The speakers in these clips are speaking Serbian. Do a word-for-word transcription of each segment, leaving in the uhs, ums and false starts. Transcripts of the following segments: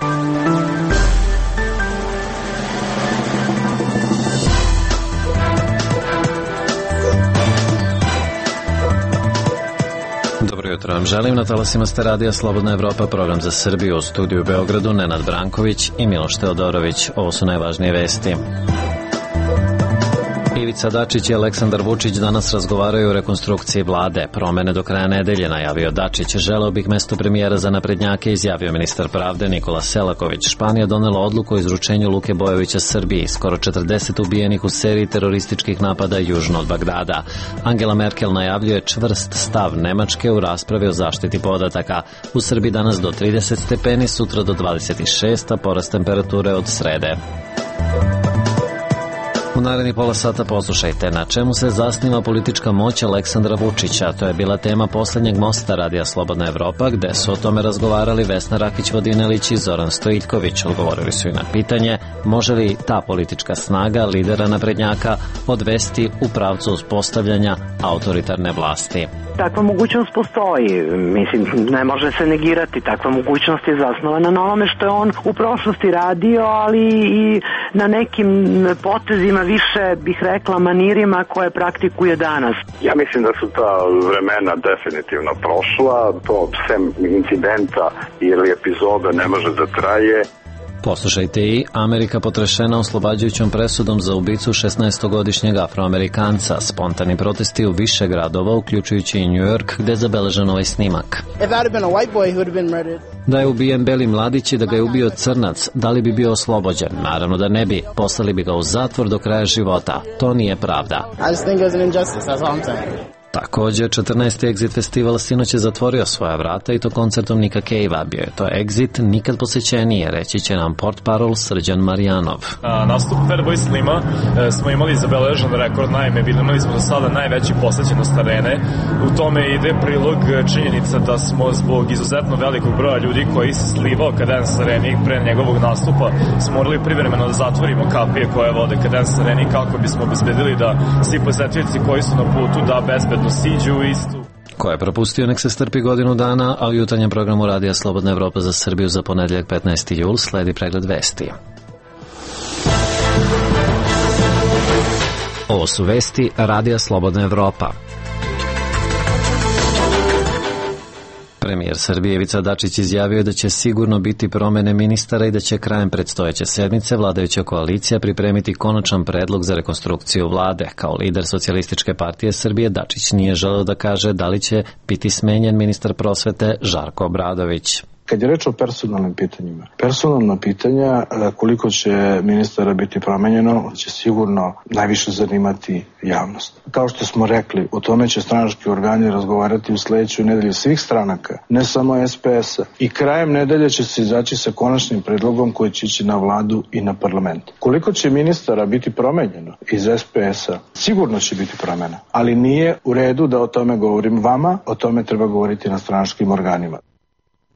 Dobro jutro vam želim, na talasima ste radija Slobodna Evropa, program za Srbiju, u studiju u Beogradu Nenad Branković i Miloš Teodorović. Ovo su najvažnije vesti. Ivica Dačić i Aleksandar Vučić danas razgovaraju o rekonstrukciji vlade. Promene do kraja nedelje, najavio Dačić. Želeo bih mesto premijera za naprednjake, izjavio ministar pravde Nikola Selaković. Španija donela odluku o izručenju Luke Bojovića Srbiji. Skoro četrdeset ubijenih u seriji terorističkih napada južno od Bagdada. Angela Merkel najavljuje čvrst stav Nemačke u raspravi o zaštiti podataka. U Srbiji danas do trideset stepeni, sutra do dvadeset šest, a porast temperature od srede. U naredni pola sata poslušajte na čemu se zasniva politička moć Aleksandra Vučića. To je bila tema poslednjeg mosta radija Slobodna Evropa, gde su o tome razgovarali Vesna Rakić-Vodinelić i Zoran Stojiljković. Odgovorili su i na pitanje može li ta politička snaga lidera naprednjaka odvesti u pravcu uspostavljanja autoritarne vlasti. Takva mogućnost postoji, mislim, ne može se negirati, takva mogućnost je zasnovana na onome što je on u prošlosti radio, ali i na nekim potezima, više bih rekla manirima koje praktikuje danas. Ja mislim da su ta vremena definitivno prošla, to sem incidenta ili epizode ne može da traje. Poslušajte i Amerika potrešena oslobađajućom presudom za ubicu šesnaestogodišnjeg Afroamerikanca. Spontani protesti u više gradova, uključujući i New York, gde je zabeležen ovaj snimak. Da je ubijen beli mladić i da ga je ubio crnac, da li bi bio oslobođen? Naravno da ne bi. Poslali bi ga u zatvor do kraja života. To nije pravda. Također, četrnaesti Exit festival sinoć je zatvorio svoja vrata i to koncertom Nika Cave-a. Bio je to Exit nikad posećenije, reći će nam portparol Srđan Marijanov. Na nastupu Fatboy Slima e, smo imali zabeležen rekord, naime, imali smo do sada najveći posećenost arene. U tome ide prilog činjenica da smo zbog izuzetno velikog broja ljudi koji se slivao Cadence Areni pre njegovog nastupa smo morali privremeno da zatvorimo kapije koje vode Cadence Areni kako bismo obezbedili da svi posetioci koji su na putu da bezbedno siđu istu. Ko je propustio, nek se strpi godinu dana, a u jutarnjem programu radija Slobodna Evropa za Srbiju za ponedeljak petnaesti jul sledi pregled vesti. Ovo su vesti radija Slobodna Evropa. Premijer Srbije Ivica Dačić izjavio da će sigurno biti promene ministara i da će krajem predstojeće sedmice vladajuća koalicija pripremiti konačan predlog za rekonstrukciju vlade. Kao lider Socijalističke partije Srbije Dačić nije želeo da kaže da li će biti smenjen ministar prosvete Žarko Obradović. Kad je reč o personalnim pitanjima, personalna pitanja koliko će ministara biti promenjeno će sigurno najviše zanimati javnost. Kao što smo rekli, o tome će stranački organi razgovarati u sledećoj nedelji svih stranaka, ne samo es pe es-a. I krajem nedelje će se izaći sa konačnim predlogom koji će ići na vladu i na parlament. Koliko će ministara biti promenjeno iz es pe es-a, sigurno će biti promena, ali nije u redu da o tome govorim vama, o tome treba govoriti na stranačkim organima.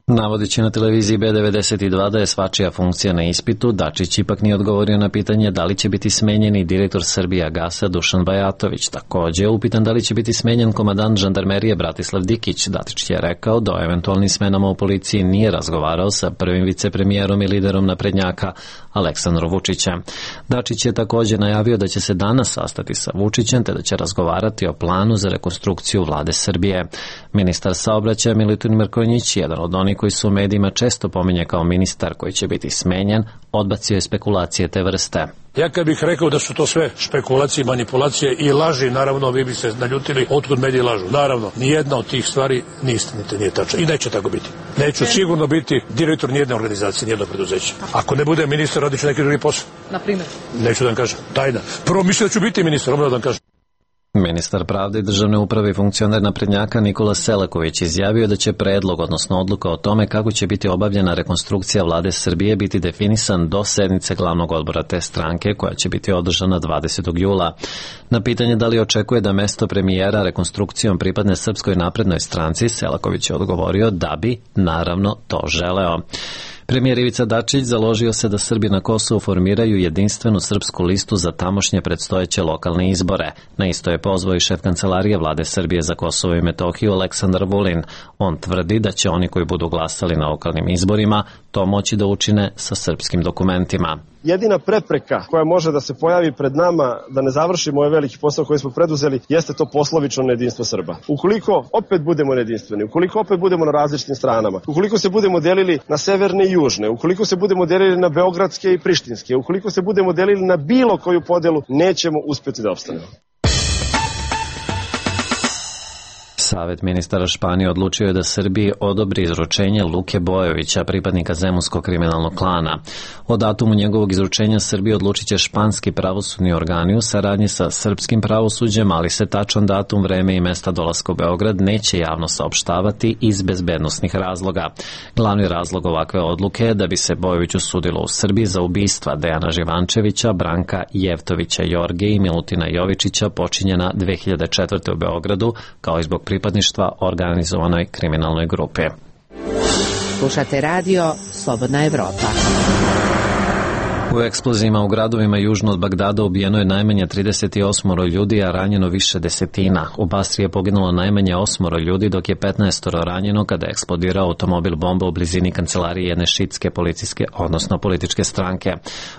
Navodeći na televiziji be devedeset dva da je svačija funkcija na ispitu, Dačić ipak nije odgovorio na pitanje da li će biti smenjeni direktor Srbijagasa Dušan Bajatović. Također, upitan da li će biti smenjen komandant žandarmerije Bratislav Dikić, Dačić je rekao da o eventualnim smenama u policiji nije razgovarao sa prvim vicepremijerom i liderom naprednjaka Aleksandrom Vučićem. Dačić je također najavio da će se danas sastati sa Vučićem te da će razgovarati o planu za rekonstrukciju vlade Srbije. Ministar saobraćaja Milutin Mrkonjić, jedan od onih koji su u medijima često pominje kao ministar koji će biti smenjen, odbacio je spekulacije te vrste. Ja kad bih rekao da su to sve špekulacije, manipulacije i laži, naravno vi bi se naljutili otkud mediji lažu. Naravno, nijedna od tih stvari nije istinita, nije tačna i neće tako biti. Neću sigurno biti direktor nijedne organizacije, nijednog preduzeća. Ako ne bude ministar, radit ću neki drugi posao. Na primjer? Neću da vam kažem, tajna. Prvo mislim da ću biti ministar, odmah da vam kažem. Ministar pravde i državne uprave i funkcioner naprednjaka Nikola Selaković izjavio da će predlog, odnosno odluka o tome kako će biti obavljena rekonstrukcija vlade Srbije biti definisan do sednice glavnog odbora te stranke koja će biti održana dvadesetog jula. Na pitanje da li očekuje da mesto premijera rekonstrukcijom pripadne Srpskoj naprednoj stranci, Selaković je odgovorio da bi, naravno, to želeo. Premijer Ivica Dačić založio se da Srbi na Kosovu formiraju jedinstvenu srpsku listu za tamošnje predstojeće lokalne izbore. Na isto je pozvao i šef kancelarije vlade Srbije za Kosovo i Metohiju Aleksandar Vulin. On tvrdi da će oni koji budu glasali na lokalnim izborima to moći da učine sa srpskim dokumentima. Jedina prepreka koja može da se pojavi pred nama da ne završimo ovaj veliki posao koji smo preduzeli jeste to poslovično nejedinstvo Srba. Ukoliko opet budemo nejedinstveni, ukoliko opet budemo na različitim stranama, ukoliko se budemo delili na severne i južne, ukoliko se budemo delili na beogradske i prištinske, ukoliko se budemo delili na bilo koju podelu, nećemo uspjeti da opstanemo. Savet ministara Španije odlučio je da Srbiji odobri izručenje Luke Bojovića, pripadnika zemunskog kriminalnog klana. O datumu njegovog izručenja Srbiji odlučit će španski pravosudni organi u saradnji sa srpskim pravosuđem, ali se tačan datum, vreme i mesta dolaska u Beograd neće javno saopštavati iz bezbednosnih razloga. Glavni razlog ovakve odluke je da bi se Bojoviću sudilo u Srbiji za ubistva Dejana Živančevića, Branka Jevtovića Jorge i Milutina Jovičića počinjena dve hiljade četvrte. u Beogradu, kao i zbog pripadništva organizovanoj kriminalnoj grupi. Slušate radio Slobodna Evropa. U eksplozijama u gradovima južno od Bagdada ubijeno je najmanje trideset osam ljudi, a ranjeno više desetina. U Basri je poginulo najmanje osam ljudi, dok je petnaest ranjeno kada je eksplodirao automobil bomba u blizini kancelarije jedne šitske policijske, odnosno političke stranke.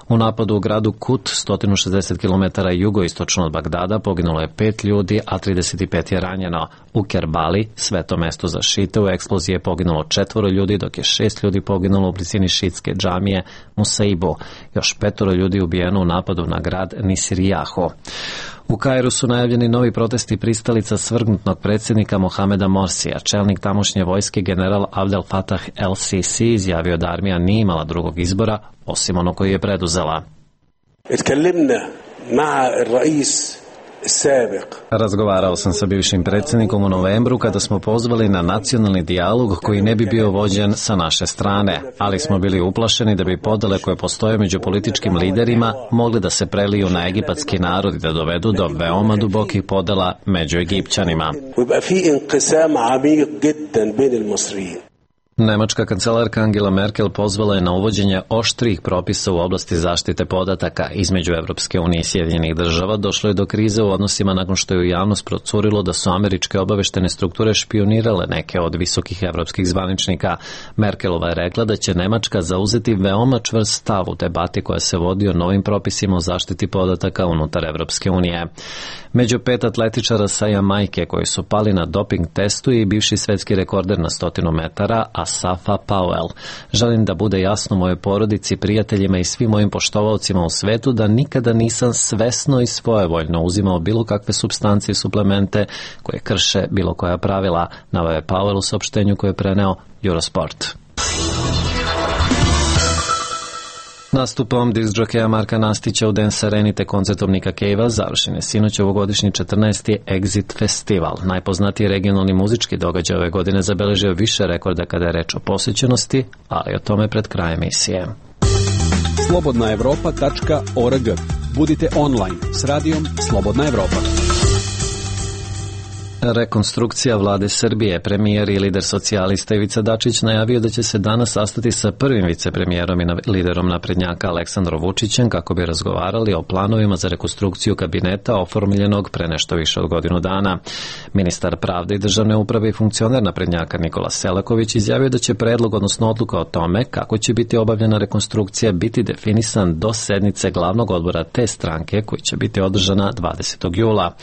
U napadu u gradu Kut, sto šezdeset kilometara jugoistočno od Bagdada, poginulo je pet ljudi, a trideset pet je ranjeno. U Kerbali, sveto mesto za šite, u eksploziji je poginulo četvoro ljudi, dok je šest ljudi poginulo u blizini šitske džamije Musaibu. Još petoro ljudi ubijeno u napadu na grad Nisirijaho. U Kairu su najavljeni novi protesti pristalica svrgnutnog predsjednika Mohameda Morsija. Čelnik tamošnje vojske general Abdel Fattah el-Sisi izjavio da armija nije imala drugog izbora osim ono koji je preduzela. Razgovarao sam sa bivšim predsjednikom u novembru kada smo pozvali na nacionalni dijalog koji ne bi bio vođen sa naše strane, ali smo bili uplašeni da bi podele koje postoje među političkim liderima mogli da se preliju na egipatski narod i da dovedu do veoma dubokih podela među Egipćanima. Nemačka kancelarka Angela Merkel pozvala je na uvođenje oštrih propisa u oblasti zaštite podataka. Između Evropske unije i Sjedinjenih država došlo je do krize u odnosima nakon što je u javnost procurilo da su američke obaveštene strukture špionirale neke od visokih evropskih zvaničnika. Merkelova je rekla da će Nemačka zauzeti veoma čvrst stav u debati koja se vodi o novim propisima o zaštiti podataka unutar Evropske unije. Među pet atletičara sa Jamajke koji su pali na doping testu i bivši svetski rekorder na stotinu metara, Asafa Powell. Želim da bude jasno mojoj porodici, prijateljima i svim mojim poštovaocima u svetu da nikada nisam svesno i svojevoljno uzimao bilo kakve supstancije i suplemente koje krše bilo koja pravila, naveo je Powell u saopštenju koje je preneo Eurosport. Nastupom diskdžokeja Marka Nastića u Dance Areni te koncertom Nika Cavea završen je sinoć ovogodišnji četrnaesti Exit Festival. Najpoznatiji regionalni muzički događaj ove godine zabeležio više rekorda kada je reč o posjećenosti, ali o tome pred krajem emisije. slobodna evropa tačka org. Budite online s radijom Slobodna Evropa. Rekonstrukcija vlade Srbije. Premijer i lider socijalista Ivica Dačić najavio da će se danas sastati sa prvim vicepremijerom i liderom naprednjaka Aleksandrom Vučićem kako bi razgovarali o planovima za rekonstrukciju kabineta oformljenog pre nešto više od godinu dana. Ministar pravde i državne uprave i funkcioner naprednjaka Nikola Selaković izjavio da će predlog, odnosno odluka o tome kako će biti obavljena rekonstrukcija, biti definisan do sednice glavnog odbora te stranke koji će biti održana dvadesetog jula.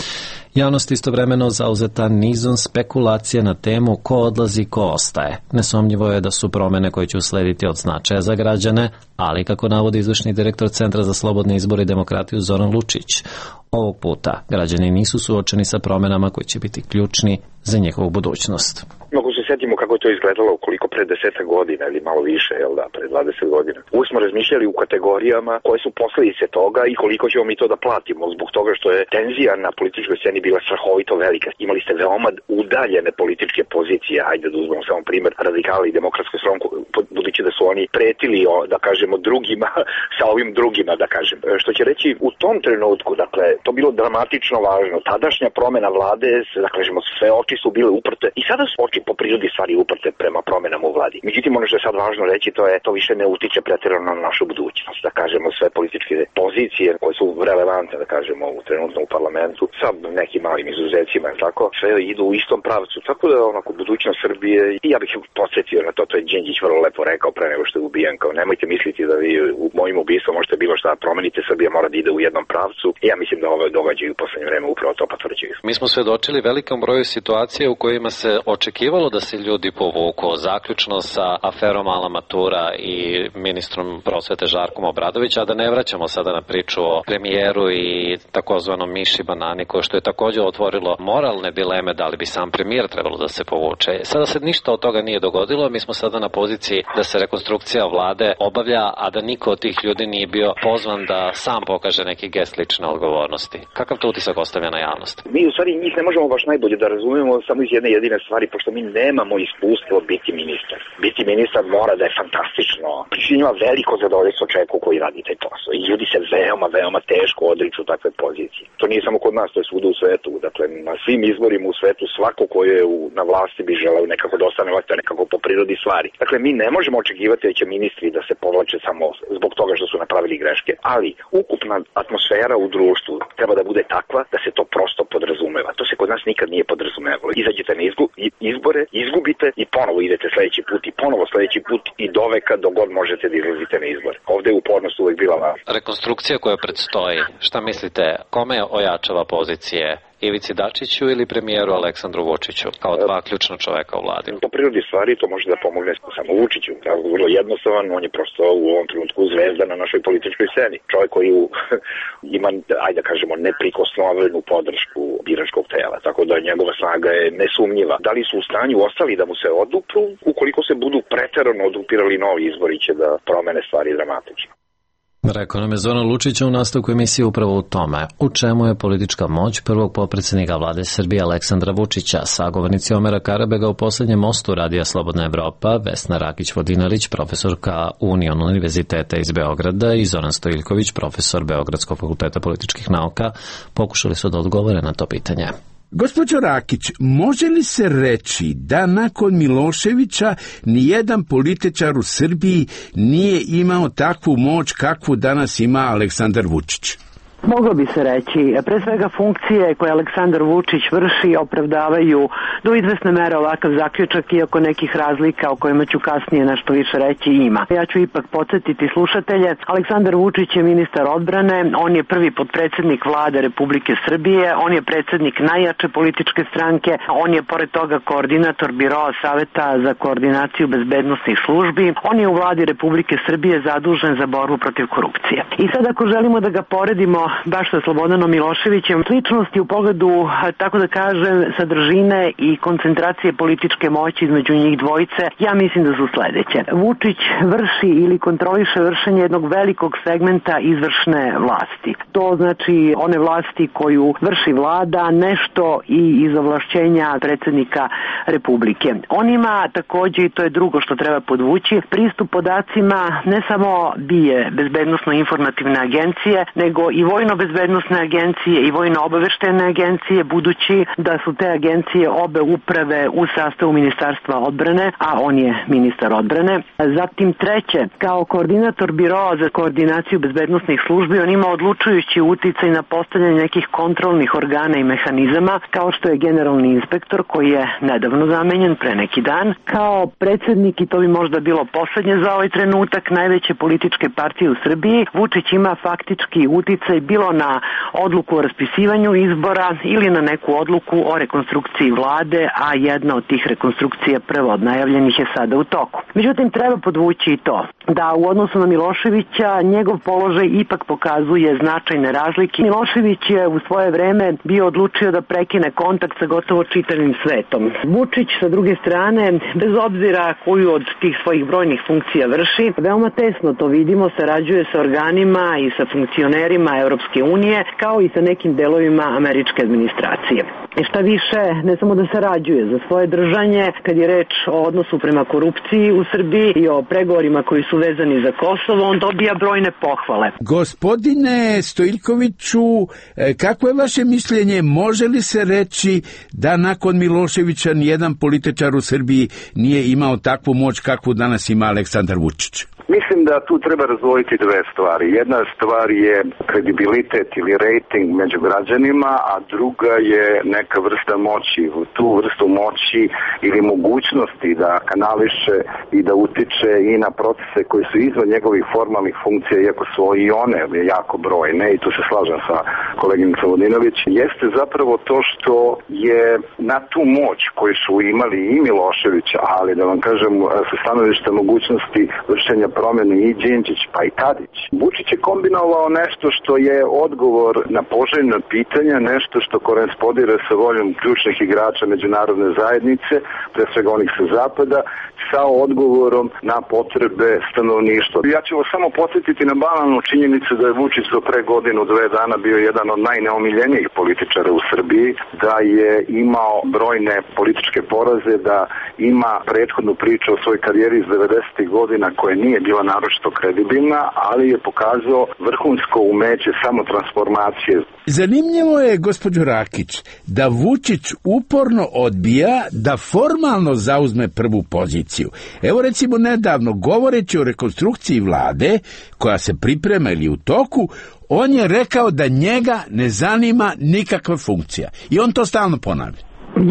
Javnost istovremeno zauzeta nizom spekulacije na temu ko odlazi, ko ostaje. Nesumnjivo je da su promene koje će uslediti od značaja za građane, ali kako navodi izvršni direktor Centra za slobodne izbore i demokratiju Zoran Lučić, ovog puta građani nisu suočeni sa promenama koji će biti ključni za njihovu budućnost. Mogu se sjetimo kako je to izgledalo koliko pre desetak godina ili malo više, jel da, pre dvadeset godina. Uvijek smo razmišljali u kategorijama koje su posljedice toga i koliko ćemo mi to da platimo zbog toga što je tenzija na političkoj sceni bila strahovito velika. Imali ste veoma udaljene političke pozicije, hajde da uzmemo samo primer radikala i demokratsku stranku, budući da su oni pretili, da kažemo, drugima sa ovim drugima, da kažem. Što će reći, u tom trenutku, dakle, to bilo dramatično važno. Tadašnja promena vlade, da kažemo, sve oči su bile uprte i sada su oči po prirodi stvari uprte prema promenama u vladi. Međutim, ono što je sad važno reći, to je to više ne utiče pretjerano na našu budućnost. Da kažemo, sve političke pozicije koje su relevantne, da kažemo, u trenutno u parlamentu, sa nekim malim izuzecima, tako, sve idu u istom pravcu. Tako da onako budućnost Srbije, i ja bih podsjetio na to, to je Đinđić vrlo lepo rekao pre nego što je ubijen, kao nemojte misliti da vi u mojim ubistvom možete bilo šta promenite, Srbija mora da ide u jednom pravcu. I ja mislim da ove događaje u poslednje vreme upravo to potvrđuju. Mi smo svedočili velikom broju situacije u kojima se očekivalo da se ljudi povuku, zaključno sa aferom Ala Matura i ministrom prosvete Žarkom Obradovića, a da ne vraćamo sada na priču o premijeru i takozvanom Miši Banani, koje što je također otvorilo moralne dileme da li bi sam premijer trebalo da se povuče. Sada se ništa od toga nije dogodilo, mi smo sada na poziciji da se rekonstrukcija vlade obavlja, a da niko od tih ljudi nije bio pozvan da sam pokaže neki gest lične odgovornosti. Kakav to utisak ostavlja na javnost? Mi u stvari njih ne možemo baš najbolje da razumemo samo iz jedne jedine stvari, pošto mi nemamo iskustvo biti ministar. Biti ministar mora da je fantastično. Pričinjava veliko zadovoljstvo čovjeku koji radi taj posao. I ljudi se veoma, veoma teško odriču takve pozicije. To nije samo kod nas, to je svuda u svetu. Dakle, na svim izborima u svetu svako ko je u, na vlasti bi želeo nekako da ostane vlasti, nekako po prirodi stvari. Dakle, mi ne možemo očekivati da će ministri da se povlače samo zbog toga što su napravili greške, ali ukupna atmosfera u društvu treba da bude takva da se to prosto podrazumeva. To se kod nas nikad nije podrazumevalo. Izađete na izgu, izbore, izgubite i ponovo idete sledeći put i ponovo sledeći put i doveka dok god možete da izlazite na izbore. Ovde je upornost uvek bila važna. Rekonstrukcija koja predstoji, šta mislite, kome ojačava pozicije? Ivici Dačiću ili premijeru Aleksandru Vučiću, kao dva ključna čoveka u vladi? Po prirodi stvari to može da pomogne samo Vučiću. Vrlo jednostavan, on je prosto u ovom trenutku zvezda na našoj političkoj sceni. Čovjek koji ima, ajde da kažemo, neprikosnovenu podršku biračkog tela, tako da njegova snaga je nesumnjiva. Da li su u stanju ostali da mu se odupru? Ukoliko se budu preterano odupirali novi izbori, će da promene stvari dramatično. Rekao nam je Zoran Lučić u nastavku emisije upravo u tome. U čemu je politička moć prvog potpredsjednika vlade Srbije Aleksandra Vučića? Sagovornici Omera Karabega u poslednjem mostu Radija Slobodna Evropa, Vesna Rakić-Vodinelić, profesorka Union univerziteta iz Beograda i Zoran Stojiljković, profesor Beogradskog fakulteta političkih nauka, pokušali su da odgovore na to pitanje. Gospođo Rakić, može li se reći da nakon Miloševića nijedan političar u Srbiji nije imao takvu moć kakvu danas ima Aleksandar Vučić? Moglo bi se reći, pre svega funkcije koje Aleksandar Vučić vrši opravdavaju do izvesne mere ovakav zaključak, iako nekih razlika o kojima ću kasnije nešto više reći ima. Ja ću ipak podsjetiti slušatelje, Aleksandar Vučić je ministar odbrane, on je prvi potpredsjednik vlade Republike Srbije, on je predsjednik najjače političke stranke, on je pored toga koordinator Biroa Saveta za koordinaciju bezbednosnih službi, on je u vladi Republike Srbije zadužen za borbu protiv korupcije. I sad ako želimo da ga poredimo baš sa Slobodanom Miloševićem, sličnosti u pogledu, tako da kažem, sadržine i koncentracije političke moći između njih dvojice, ja mislim da su sledeće. Vučić vrši ili kontroliše vršenje jednog velikog segmenta izvršne vlasti. To znači one vlasti koju vrši vlada, nešto i iz ovlašćenja predsjednika Republike. On ima takođe, i to je drugo što treba podvući, pristup podacima ne samo bije bezbednosno-informativne agencije, nego i vojno-bezbednosne agencije i vojno-obaveštene agencije, budući da su te agencije obe uprave u sastavu Ministarstva odbrane, a on je ministar odbrane. Zatim treće, kao koordinator Biroa za koordinaciju bezbednosnih službi, on ima odlučujući uticaj na postavljanje nekih kontrolnih organa i mehanizama, kao što je generalni inspektor koji je nedavno zamenjen pre neki dan, kao predsjednik, i to bi možda bilo poslednje za ovaj trenutak, najveće političke partije u Srbiji. Vučić ima faktički uticaj bilo na odluku o raspisivanju izbora ili na neku odluku o rekonstrukciji vlade, a jedna od tih rekonstrukcija prvo od najavljenih je sada u toku. Međutim, treba podvući i to da u odnosu na Miloševića njegov položaj ipak pokazuje značajne razlike. Milošević je u svoje vreme bio odlučio da prekine kontakt sa gotovo čitavim svetom. Vučić sa druge strane, bez obzira koju od tih svojih brojnih funkcija vrši, veoma tesno to vidimo, sarađuje sa organima i sa funkcionerima Evropske Evropske unije, kao i sa nekim delovima američke administracije. I šta više, ne samo da sarađuje za svoje držanje, kad je reč o odnosu prema korupciji u Srbiji i o pregovorima koji su vezani za Kosovo, on dobija brojne pohvale. Gospodine Stojiljkoviću, kako je vaše mišljenje, može li se reći da nakon Miloševića nijedan političar u Srbiji nije imao takvu moć kakvu danas ima Aleksandar Vučić? Mislim da tu treba razdvojiti dve stvari. Jedna stvar je kredibilitet ili rating među građanima, a druga je neka vrsta moći. Tu vrstu moći ili mogućnosti da kanališe i da utiče i na procese koji su izvan njegovih formalnih funkcija, iako su i one jako brojne, i tu se slažem sa koleginicom Vodinović, jeste zapravo to što je na tu moć koju su imali i Milošević, ali da vam kažem sa stanovišta mogućnosti vršenja promjene i Đinđić pa i Tadić. Vučić je kombinovao nešto što je odgovor na poželjna pitanja, nešto što korespondira sa voljom ključnih igrača međunarodne zajednice, pre svega onih sa zapada, sa odgovorom na potrebe stanovništva. Ja ću vas samo podsjetiti na banalnu činjenicu da je Vučić do pre godinu, dve dana bio jedan od najneomiljenijih političara u Srbiji, da je imao brojne političke poraze, da ima prethodnu priču o svojoj karijeri iz devedesetih godina koja nije bila naročito kredibilna, ali je pokazao vrhunsko umeće samotransformacije. Zanimljivo je, gospođo Rakić, da Vučić uporno odbija da formalno zauzme prvu poziciju. Evo recimo nedavno, govoreći o rekonstrukciji vlade, koja se priprema ili u toku, on je rekao da njega ne zanima nikakva funkcija. I on to stalno ponavlja.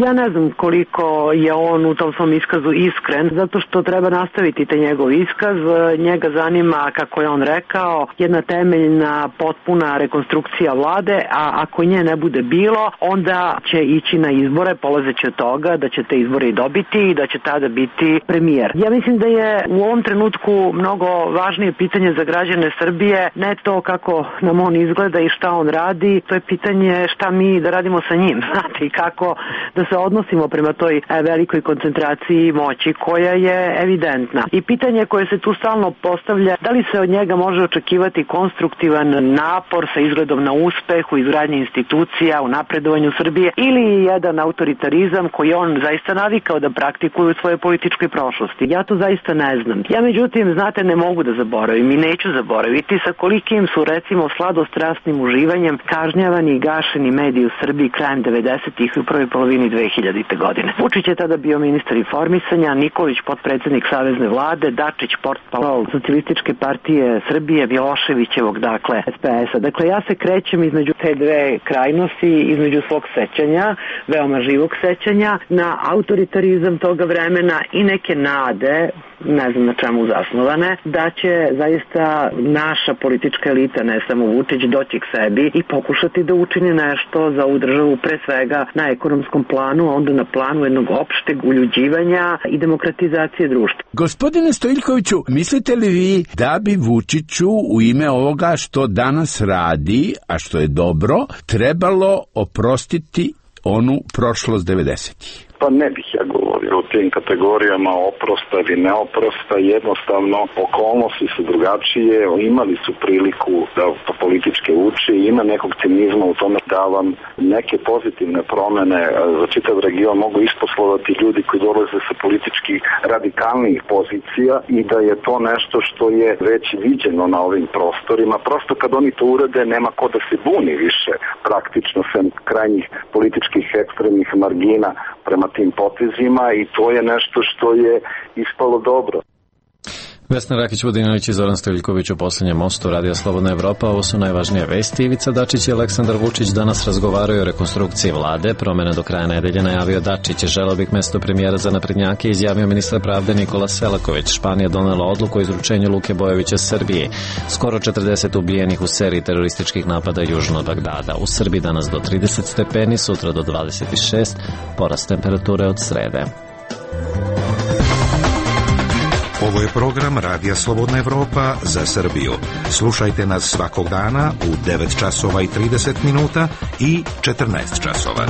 Ja ne znam koliko je on u tom svom iskazu iskren, zato što treba nastaviti taj njegov iskaz. Njega zanima, kako je on rekao, jedna temeljna, potpuna rekonstrukcija vlade, a ako nje ne bude bilo, onda će ići na izbore, polazeći od toga da će te izbore i dobiti i da će tada biti premijer. Ja mislim da je u ovom trenutku mnogo važnije pitanje za građane Srbije, ne to kako nam on izgleda i šta on radi, to je pitanje šta mi da radimo sa njim, znate, i kako da se odnosimo prema toj velikoj koncentraciji moći koja je evidentna. I pitanje koje se tu stalno postavlja, da li se od njega može očekivati konstruktivan napor sa izgledom na uspeh u izgradnji institucija, u napredovanju Srbije, ili jedan autoritarizam koji on zaista navikao da praktikuje u svojoj političkoj prošlosti. Ja to zaista ne znam. Ja međutim, znate, ne mogu da zaboravim i neću zaboraviti sa kolikim su recimo sladostrasnim uživanjem kažnjavani i gašeni mediji u Srbiji krajem devedesetih i u prvoj polovini dve hiljadite. godine. Vučić je tada bio ministar informisanja, Nikolić potpredsednik Savezne vlade, Dačić portparol Socijalističke partije Srbije, Miloševićevog, dakle, es pe es a. Dakle, ja se krećem između te dve krajnosti, između svog sećanja, veoma živog sećanja, na autoritarizam toga vremena i neke nade, ne znam na čemu zasnovane, da će zaista naša politička elita, ne samo Vučić, doći k sebi i pokušati da učini nešto za ovu državu, pre svega na ekonomskom planu, a onda na planu jednog opšteg uljuđivanja i demokratizacije društva. Gospodine Stojiljkoviću, mislite li vi da bi Vučiću u ime ovoga što danas radi, a što je dobro, trebalo oprostiti onu prošlost devedesetih? Pa ne bih ja govorio o tim kategorijama oprosta ili neoprosta, jednostavno okolnosti su drugačije, imali su priliku da političke uči, ima nekog cinizma u tome da vam neke pozitivne promene za čitav region mogu isposlovati ljudi koji dolaze sa politički radikalnih pozicija i da je to nešto što je već viđeno na ovim prostorima. Prosto kad oni to urade, nema ko da se buni više, praktično sem krajnjih političkih ekstremnih margina prema tim potezima, i to je nešto što je ispalo dobro. Vesna Rakić-Vodinović i Zoran Stojiljković u poslednjem mostu Radija Slobodna Evropa. Ovo su najvažnije vesti. Ivica Dačić i Aleksandar Vučić danas razgovaraju o rekonstrukciji vlade. Promene do kraja nedelje najavio Dačić. Želeo bih mesto premijera za naprednjake, izjavio ministar pravde Nikola Selaković. Španija donela odluku o izručenju Luke Bojovića Srbiji. Skoro četrdeset ubijenih u seriji terorističkih napada južno od Bagdada. U Srbiji danas do trideset stepeni, sutra do dvadeset šest, porast temperature od srede. Ovo je program Radija Slobodna Evropa za Srbiju. Slušajte nas svakog dana u devet časova i trideset minuta i četrnaest časova.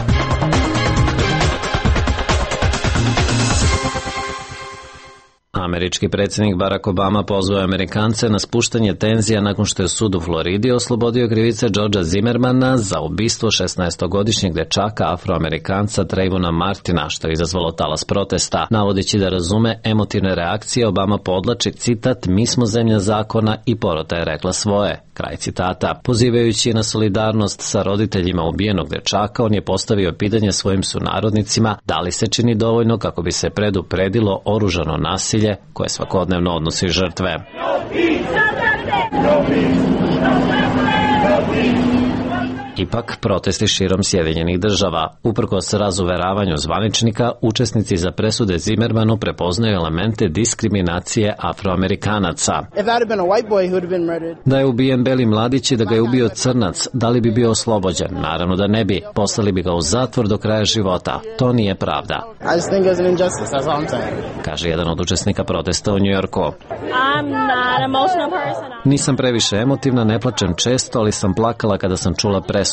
Američki predsjednik Barack Obama pozvao Amerikance na spuštanje tenzija nakon što je sud u Floridi oslobodio krivice Georgea Zimmermana za ubistvo šesnaestogodišnjeg dečaka Afroamerikanca Trayvona Martina, što je izazvalo talas protesta. Navodeći da razume emotivne reakcije, Obama podlači citat: "Mi smo zemlja zakona i porota je rekla svoje." Kraj citata. Pozivajući na solidarnost sa roditeljima ubijenog dečaka, on je postavio pitanje svojim sunarodnicima da li se čini dovoljno kako bi se predupredilo oružano nasilje koje svakodnevno odnosi žrtve. Ipak, protesti širom Sjedinjenih država. Uprkos razuveravanju zvaničnika, učesnici za presude Zimmermanu prepoznaju elemente diskriminacije Afroamerikanaca. Da je ubijen beli mladić i da ga je ubio crnac, da li bi bio oslobođen? Naravno da ne bi. Poslali bi ga u zatvor do kraja života. To nije pravda, kaže jedan od učesnika protesta u Njujorku. Nisam previše emotivna, ne plačem često, ali sam plakala kada sam čula presudu.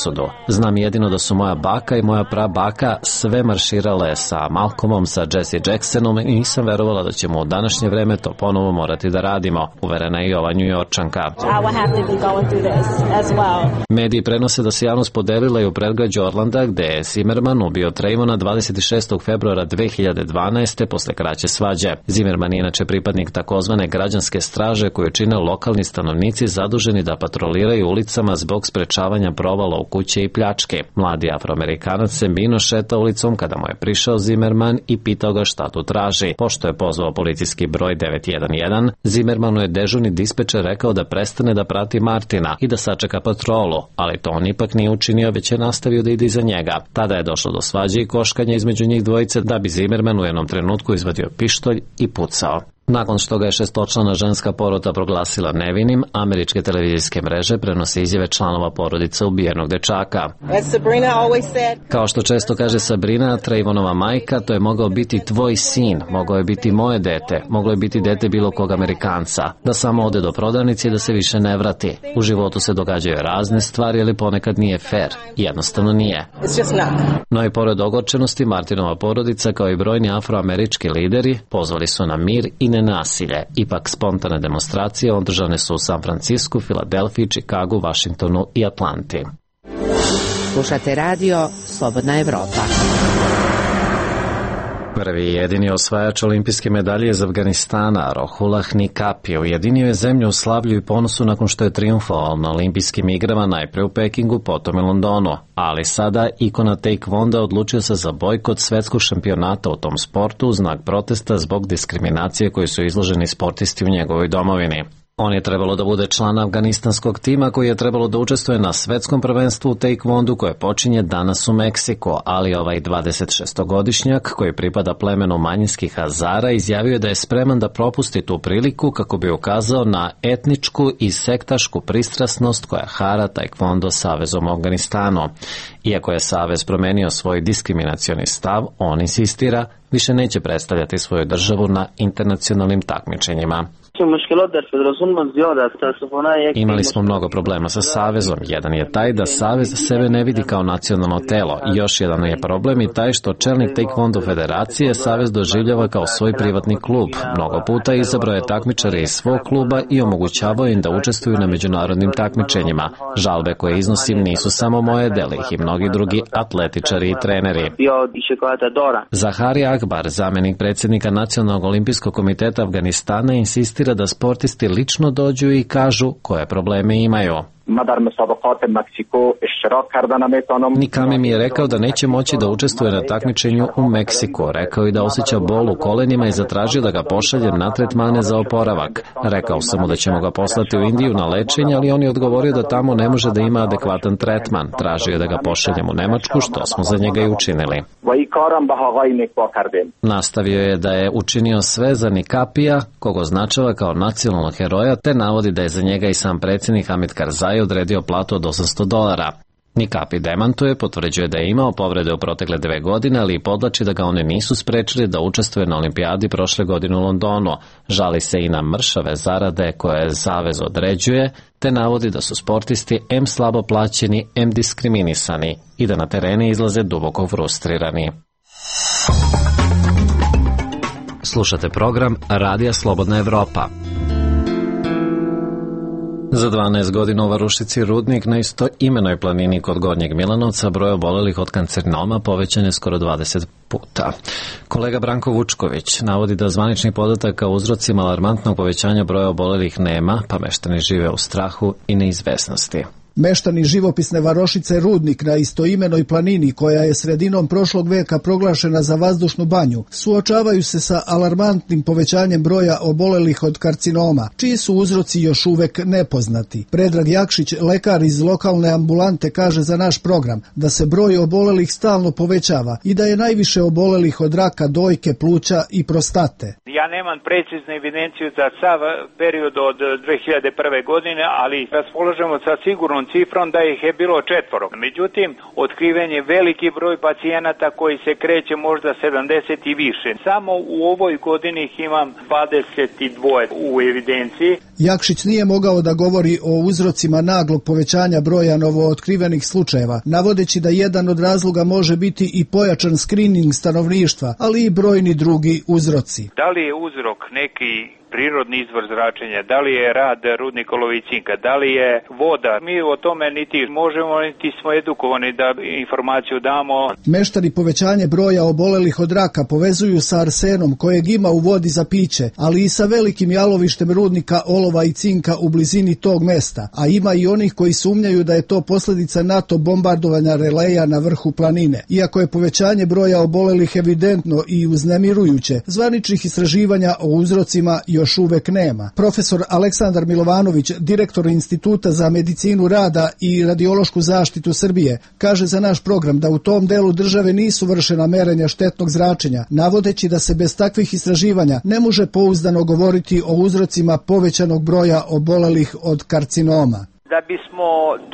Znam jedino da su moja baka i moja prabaka sve marširale sa Malcolmom, sa Jesse Jacksonom i nisam verovala da ćemo u današnje vreme to ponovo morati da radimo, uverena je i ova Njujorčanka. Mediji prenose da se javnost podelila i u predgrađu Orlanda, gde je Zimmerman ubio Trayvona dvadeset šestog februara dve hiljade dvanaeste. posle kraće svađe. Zimmerman je inače pripadnik takozvane građanske straže koju čine lokalni stanovnici zaduženi da patroliraju ulicama zbog sprečavanja provala u kuće i pljačke. Mladi Afroamerikanac se mirno šeta ulicom kada mu je prišao Zimmerman i pitao ga šta tu traži. Pošto je pozvao policijski broj devet jedan jedan, Zimmermanu je dežurni dispečer rekao da prestane da prati Martina i da sačeka patrolu, ali to on ipak nije učinio, već je nastavio da ide iza njega. Tada je došlo do svađe i koškanja između njih dvojice, da bi Zimmerman u jednom trenutku izvadio pištolj i pucao. Nakon što ga je šestočlana ženska porota proglasila nevinim, američke televizijske mreže prenose izjave članova porodice ubijenog dečaka. Kao što često kaže Sabrina, Trayvonova majka, to je mogao biti tvoj sin, mogao je biti moje dete, moglo je biti dete bilo kog Amerikanca, da samo ode do prodavnice i da se više ne vrati. U životu se događaju razne stvari, ali ponekad nije fair. Jednostavno nije. No i pored ogorčenosti, Martinova porodica kao i brojni afroamerički lideri pozvali su na mir i nenasilje. Ipak spontane demonstracije održane su u San Francisku, Filadelfiji, Čikagu, Vašingtonu i Atlanti. Slušate radio Slobodna Evropa. Prvi i jedini osvajač olimpijske medalje iz Afganistana, Rohullah Nikapi, ujedinio je zemlju u slavlju i ponosu nakon što je trijumfovao na olimpijskim igrama najpre u Pekingu, potom i Londonu. Ali sada ikona taekwonda odlučio se za bojkot svetskog šampionata u tom sportu u znak protesta zbog diskriminacije koji su izloženi sportisti u njegovoj domovini. On je trebalo da bude član afganistanskog tima koji je trebalo da učestvuje na svetskom prvenstvu u taekwondu koje počinje danas u Meksiku, ali ovaj dvadesetšestogodišnjak koji pripada plemenu manjinskih Hazara izjavio je da je spreman da propusti tu priliku kako bi ukazao na etničku i sektašku pristrasnost koja hara taekwondo savezom u Afganistanu. Iako je savez promenio svoj diskriminacioni stav, on insistira više neće predstavljati svoju državu na internacionalnim takmičenjima. Imali smo mnogo problema sa savezom. Jedan je taj da savez sebe ne vidi kao nacionalno telo. I još jedan je problem i taj što čelnik Taekwondo federacije savez doživljava kao svoj privatni klub. Mnogo puta izabrao je takmičare iz svog kluba i omogućavao im da učestvuju na međunarodnim takmičenjima. Žalbe koje iznosim nisu samo moje, dele ih i mnogi drugi atletičari i treneri. Zahari Akbar, zamenik predsjednika Nacionalnog olimpijskog komiteta Afganistana, insistira da sportisti lično dođu i kažu koje probleme imaju. Nikami mi je rekao da neće moći da učestvuje na takmičenju u Meksiku. Rekao i da osjeća bol u kolenima i zatražio da ga pošaljem na tretmane za oporavak. Rekao sam mu da ćemo ga poslati u Indiju na lečenje, ali on je odgovorio da tamo ne može da ima adekvatan tretman. Tražio je da ga pošaljem u Nemačku, što smo za njega i učinili. Nastavio je da je učinio sve za Nikapija, koga označava kao nacionalnog heroja, te navodi da je za njega i sam predsjednik Hamid Karzai odredio platu od osamsto dolara. Nikapi demantuje, potvrđuje da je imao povrede u protekle dve godine, ali i podlači da ga one nisu sprečili da učestvuje na olimpijadi prošle godine u Londonu. Žali se i na mršave zarade koje savez određuje, te navodi da su sportisti em slabo plaćeni, em diskriminisani i da na terene izlaze duboko frustrirani. Slušate program Radija Slobodna Evropa. Za dvanaest godina u Varušici Rudnik na istoimenoj planini kod Gornjeg Milanovca broj obolelih od karcinoma povećan je skoro dvadeset puta. Kolega Branko Vučković navodi da zvaničnih podataka o uzrocima alarmantnog povećanja broja obolelih nema, pa meštani žive u strahu i neizvesnosti. Meštani živopisne varošice Rudnik na istoimenoj planini, koja je sredinom prošlog veka proglašena za vazdušnu banju, suočavaju se sa alarmantnim povećanjem broja obolelih od karcinoma, čiji su uzroci još uvek nepoznati. Predrag Jakšić, lekar iz lokalne ambulante, kaže za naš program da se broj obolelih stalno povećava i da je najviše obolelih od raka dojke, pluća i prostate. Ja nemam preciznu evidenciju za sav period od dve hiljade prve. godine, ali raspolažemo sa sigurnom cifrom da ih je bilo četvoro. Međutim, otkriven je veliki broj pacijenata koji se kreće možda sedamdeset i više. Samo u ovoj godini ih imam dvadeset dva u evidenciji. Jakšić nije mogao da govori o uzrocima naglog povećanja broja novootkrivenih slučajeva, navodeći da jedan od razloga može biti i pojačan skrining stanovništva, ali i brojni drugi uzroci. Da li je uzrok neki prirodni izvor zračenja, da li je rad rudnika olova i cinka, da li je voda, mi o tome niti možemo, niti smo edukovani da informaciju damo. Meštani povećanje broja obolelih od raka povezuju sa arsenom kojeg ima u vodi za piće, ali i sa velikim jalovištem rudnika olova i cinka u blizini tog mesta, a ima i onih koji sumnjaju da je to posljedica NATO bombardovanja releja na vrhu planine. Iako je povećanje broja obolelih evidentno i uznemirujuće, zvaničnih istraživanja o uzrocima još uvek nema. Profesor Aleksandar Milovanović, direktor Instituta za medicinu rada i radiološku zaštitu Srbije, kaže za naš program da u tom delu države nisu vršena merenja štetnog zračenja, navodeći da se bez takvih istraživanja ne može pouzdano govoriti o uzrocima povećanog broja obolelih od karcinoma. Da bismo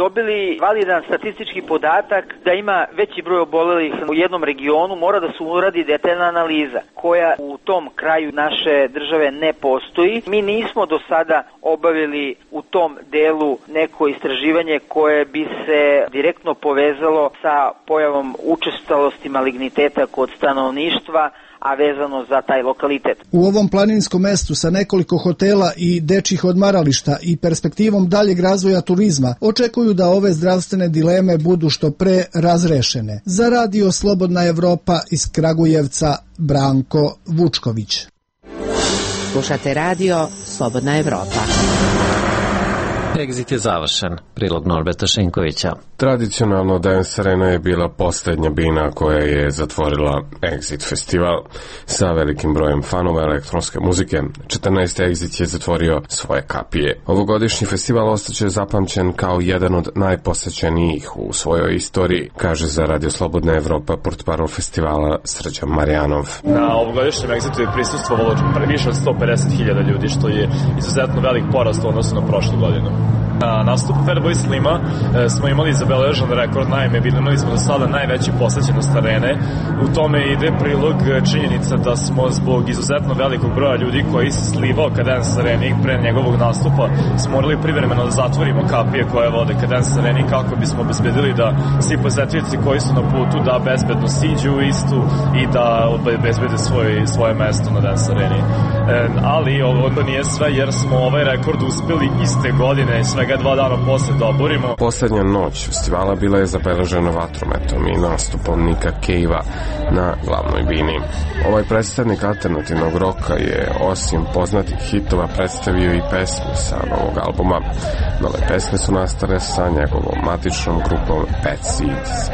dobili validan statistički podatak da ima veći broj obolelih u jednom regionu, mora da se uradi detaljna analiza koja u tom kraju naše države ne postoji. Mi nismo do sada obavili u tom delu neko istraživanje koje bi se direktno povezalo sa pojavom učestalosti maligniteta kod stanovništva, a vezano za taj lokalitet. U ovom planinskom mestu sa nekoliko hotela i dečjih odmarališta i perspektivom daljeg razvoja turizma očekuju da ove zdravstvene dileme budu što pre razrešene. Za Radio Slobodna Evropa iz Kragujevca, Branko Vučković. Slušate Radio Slobodna Evropa. Exit je završen. Prilog Norberta Šinkovića. Tradicionalno Dance Arena je bila posljednja bina koja je zatvorila Exit festival. Sa velikim brojem fanova elektronske muzike, četrnaesti Exit je zatvorio svoje kapije. Ovogodišnji festival ostaće zapamćen kao jedan od najposećenijih u svojoj istoriji, kaže za Radio Slobodna Evropa portparol festivala Srđan Marjanov. Na ovogodišnjem Exitu je prisustvovalo više od sto pedeset hiljada ljudi, što je izuzetno velik porast u odnosu na prošlu godinu. Na nastupu Fatboy Slima e, smo imali zabeležen rekord, naime imali smo do sada najveći posećenost arene. U tome ide prilog činjenica da smo zbog izuzetno velikog broja ljudi koji se slivao ka Dance Areni pre njegovog nastupa smo morali privremeno da zatvorimo kapije koje vode ka Dance Areni kako bismo obezbedili da svi posetioci koji su na putu da bezbedno siđu u istu i da obezbede svoj, svoje mesto na Dance Areni. E, ali ovo to nije sve, jer smo ovaj rekord uspeli iste godine, svega dva dana posle da oborimo. Poslednja noć festivala bila je zabeležena vatrometom i nastupom Nika Cave-a na glavnoj bini. Ovaj predstavnik alternativnog roka je osim poznatih hitova predstavio i pesme sa novog albuma. Nove pesme su nastale sa njegovom matičnom grupom Bad Seeds.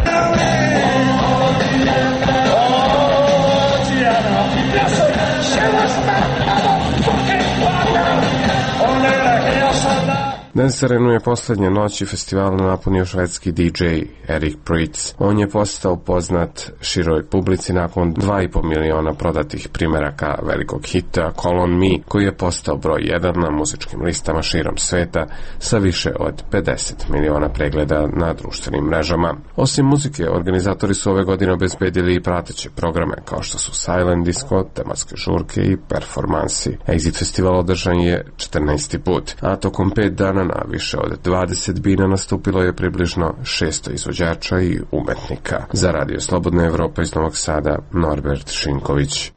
Dance Arenu je poslednje noći festivala napunio švedski D J Erik Prytz. On je postao poznat široj publici nakon dva i po miliona prodatih primeraka velikog hita Call on Me, koji je postao broj jedan na muzičkim listama širom sveta sa više od pedeset miliona pregleda na društvenim mrežama. Osim muzike, organizatori su ove godine obezbedili i prateće programe kao što su Silent Disco, tematske žurke i performansi. Exit festival održan je četrnaesti put, a tokom pet dana na više od dvadeset bina nastupilo je približno šesto izvođača i umetnika. Za Radio Slobodna Evropa iz Novog Sada, Norbert Šinković.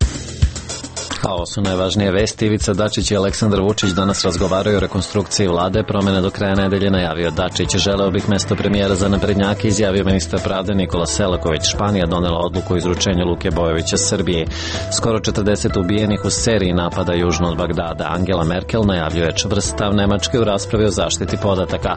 A ovo su najvažnije vesti. Ivica Dačić i Aleksandar Vučić danas razgovaraju o rekonstrukciji vlade. Promene do kraja nedelje najavio Dačić. Želeo bih mesto premijera za naprednjake, izjavio ministar pravde Nikola Selaković. Španija donela odluku o izručenju Luke Bojovića Srbiji. Skoro četrdeset ubijenih u seriji napada južno od Bagdada. Angela Merkel najavljuje čvrst stav Nemačke u raspravi o zaštiti podataka.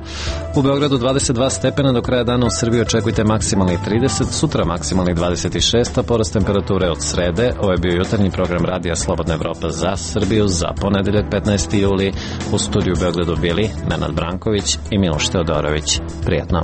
U Beogradu dvadeset dva stepena, do kraja dana u Srbiji očekujte maksimalni trideset, sutra maksimalni dvadeset šest, a porast temperature od srede. Ovo je bio jutarnji program Radija Slobodna Evropa za Srbiju za ponedeljak petnaesti juli. U studiju u Beogradu bili Nenad Branković i Miloš Teodorović. Prijetno.